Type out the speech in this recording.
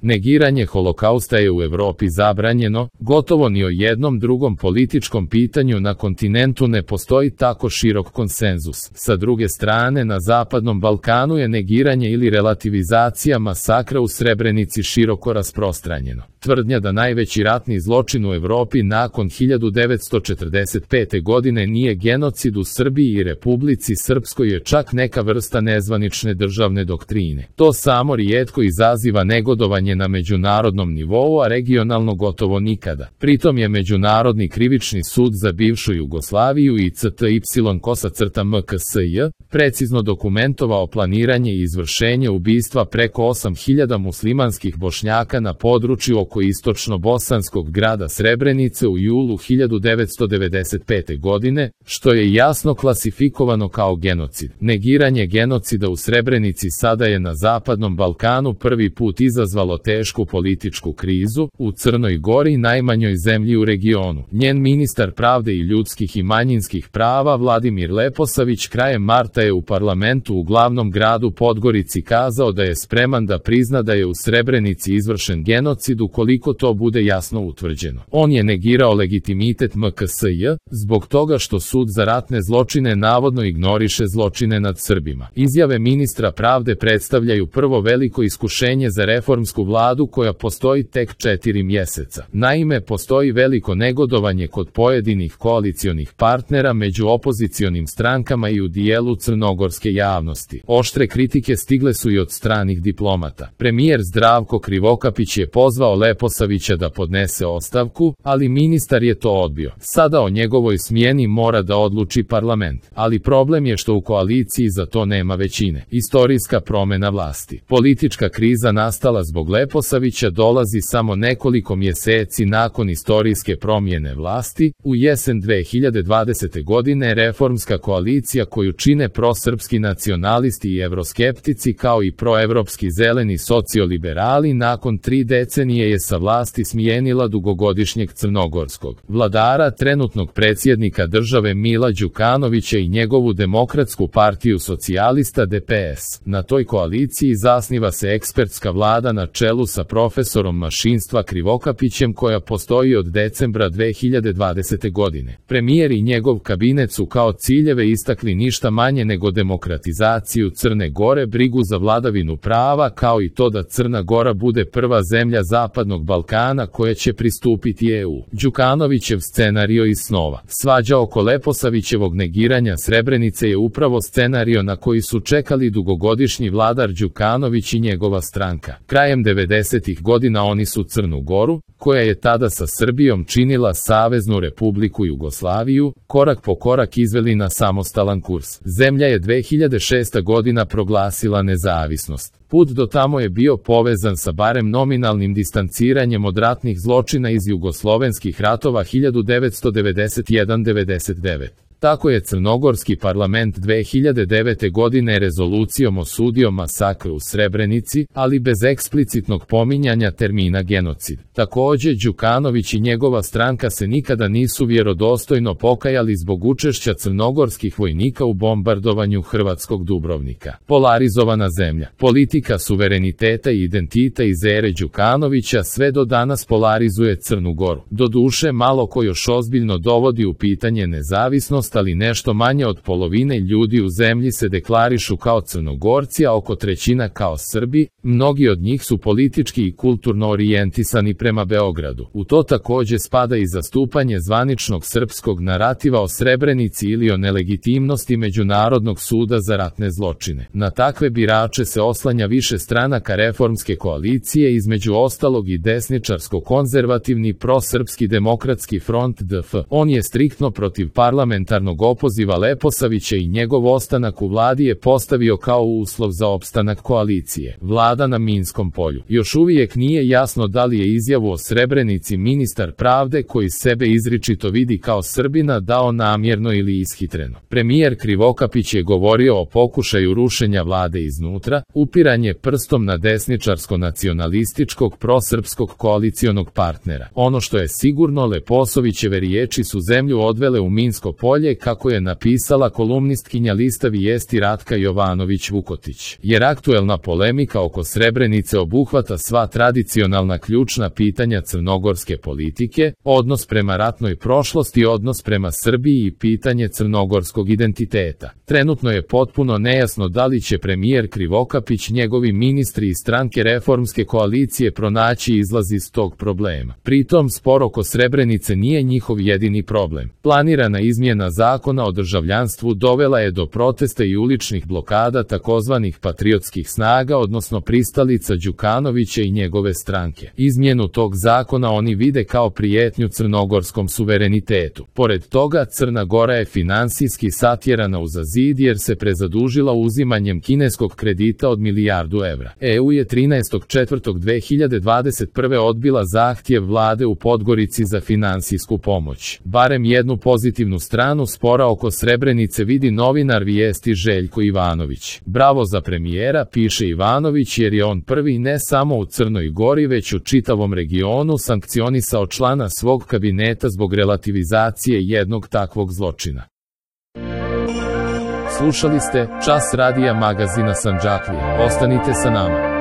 Negiranje holokausta je u Evropi zabranjeno, gotovo ni o jednom drugom političkom pitanju na kontinentu ne postoji tako širok konsenzus. Sa druge strane, na Zapadnom Balkanu je negiranje ili relativizacija masakra u Srebrenici široko rasprostranjeno. Tvrdnja da najveći ratni zločin u Evropi nakon 1945. godine nije genocid u Srbiji i Republici Srpskoj je čak neka vrsta nezvanične državne doktrine. To samo rijetko izaziva negodovanje na međunarodnom nivou, a regionalno gotovo nikada. Pritom je Međunarodni krivični sud za bivšu Jugoslaviju i CTY-MKSJ precizno dokumentovao planiranje i izvršenje ubistva preko 8000 muslimanskih Bošnjaka na području oko istočno-bosanskog grada Srebrenice u julu 1995. godine, što je jasno klasifikovano kao genocid. Negiranje genocida u Srebrenici sada je na Zapadnom Balkanu prvi put izazvalo tešku političku krizu, u Crnoj Gori, najmanjoj zemlji u regionu. Njen ministar pravde i ljudskih i manjinskih prava Vladimir Leposavić krajem marta je u parlamentu u glavnom gradu Podgorici kazao da je spreman da prizna da je u Srebrenici izvršen genocid ukoliko to bude jasno utvrđeno. On je negirao legitimitet MKSJ, zbog toga što sud za ratne zločine navodno ignoriše zločine nad Srbima. Izjave ministra pravde predstavljaju prvo veliko iskušenje za reformsku vladu koja postoji tek 4 mjeseca. Naime, postoji veliko negodovanje kod pojedinih koalicionih partnera među opozicionim strankama i u dijelu crnogorske javnosti. Oštre kritike stigle su i od stranih diplomata. Premijer Zdravko Krivokapić je pozvao Leposavića da podnese ostavku, ali ministar je to odbio. Sada o njegovoj smjeni mora da odluči parlament, ali problem je što u koaliciji za to nema većine. Istorijska promjena vlasti. Politička kriza nastala zbog Leposavića dolazi samo nekoliko mjeseci nakon istorijske promjene vlasti. U jesen 2020. godine reformska koalicija koju čine prosrpski nacionalisti i evroskeptici kao i proevropski zeleni socioliberali nakon 3 decenije je sa vlasti smijenila dugogodišnjeg crnogorskog vladara, trenutnog predsjednika države Mila Đukanovića i njegovu Demokratsku partiju socijalista DPS. Na toj koaliciji zasniva se ekspertska vlada na čelu sa profesorom mašinstva Krivokapićem koja postoji od decembra 2020. godine. Premijer i njegov kabinet su kao ciljeve istakli ništa manje nego demokratizaciju Crne Gore, brigu za vladavinu prava kao i to da Crna Gora bude prva zemlja Zapadnog Balkana koja će pristupiti EU. Đukanovićev scenario iz snova. Svađa oko Leposavićevog negiranja Srebrenice je upravo scenario na koji su čekali dugogodišnji vladar Đukanović i njegova stranka. Krajem 90-ih godina oni su Crnu Goru, koja je tada sa Srbijom činila Saveznu Republiku Jugoslaviju, korak po korak izveli na samostalan kurs. Zemlja je 2006. godina proglasila nezavisnost. Put do tamo je bio povezan sa barem nominalnim distanciranjem od ratnih zločina iz jugoslovenskih ratova 1991-99. Tako je crnogorski parlament 2009. godine rezolucijom osudio masakr u Srebrenici, ali bez eksplicitnog pominjanja termina genocid. Također, Đukanović i njegova stranka se nikada nisu vjerodostojno pokajali zbog učešća crnogorskih vojnika u bombardovanju hrvatskog Dubrovnika. Polarizovana zemlja. Politika suvereniteta i identita iz ere Đukanovića sve do danas polarizuje Crnu Goru. Doduše, malo ko još ozbiljno dovodi u pitanje nezavisnost, ali nešto manje od polovine ljudi u zemlji se deklarišu kao Crnogorci, a oko trećina kao Srbi. Mnogi od njih su politički i kulturno orijentisani prema Beogradu. U to također spada i zastupanje zvaničnog srpskog narativa o Srebrenici ili o nelegitimnosti Međunarodnog suda za ratne zločine. Na takve birače se oslanja više stranaka reformske koalicije, između ostalog i desničarsko-konzervativni prosrpski demokratski front DF. On je striktno protiv parlamentarnog opoziva Leposavića i njegov ostanak u vladi je postavio kao uslov za opstanak koalicije. Vlada na minskom polju. Još uvijek nije jasno da li je izjavu o Srebrenici ministar pravde, koji sebe izričito vidi kao Srbina, dao namjerno ili ishitreno. Premijer Krivokapić je govorio o pokušaju rušenja vlade iznutra, upiranje prstom na desničarsko-nacionalističkog prosrpskog koalicionog partnera. Ono što je sigurno, Leposavićeve riječi su zemlju odvele u minsko polje bolje, kako je napisala kolumnistkinja lista Vijesti Ratka Jovanović-Vukotić. Jer aktuelna polemika oko Srebrenice obuhvata sva tradicionalna ključna pitanja crnogorske politike, odnos prema ratnoj prošlosti, odnos prema Srbiji i pitanje crnogorskog identiteta. Trenutno je potpuno nejasno da li će premijer Krivokapić, njegovi ministri i stranke reformske koalicije pronaći izlaz iz tog problema. Pritom, spor oko Srebrenice nije njihov jedini problem. Planirana izmjena zakona o državljanstvu dovela je do protesta i uličnih blokada takozvanih patriotskih snaga, odnosno pristalica Đukanovića i njegove stranke. Izmjenu tog zakona oni vide kao prijetnju crnogorskom suverenitetu. Pored toga, Crna Gora je finansijski satjerana uza zid jer se prezadužila uzimanjem kineskog kredita od milijardu evra. EU je 13.4.2021. odbila zahtjev vlade u Podgorici za finansijsku pomoć. Barem jednu pozitivnu stranu spora oko Srebrenice vidi novinar Vijesti Željko Ivanović. Bravo za premijera, piše Ivanović, jer je on prvi ne samo u Crnoj Gori već u čitavom regionu sankcionisao člana svog kabineta zbog relativizacije jednog takvog zločina. Slušali ste Čas radija magazina Sandžaklija. Ostanite sa nama.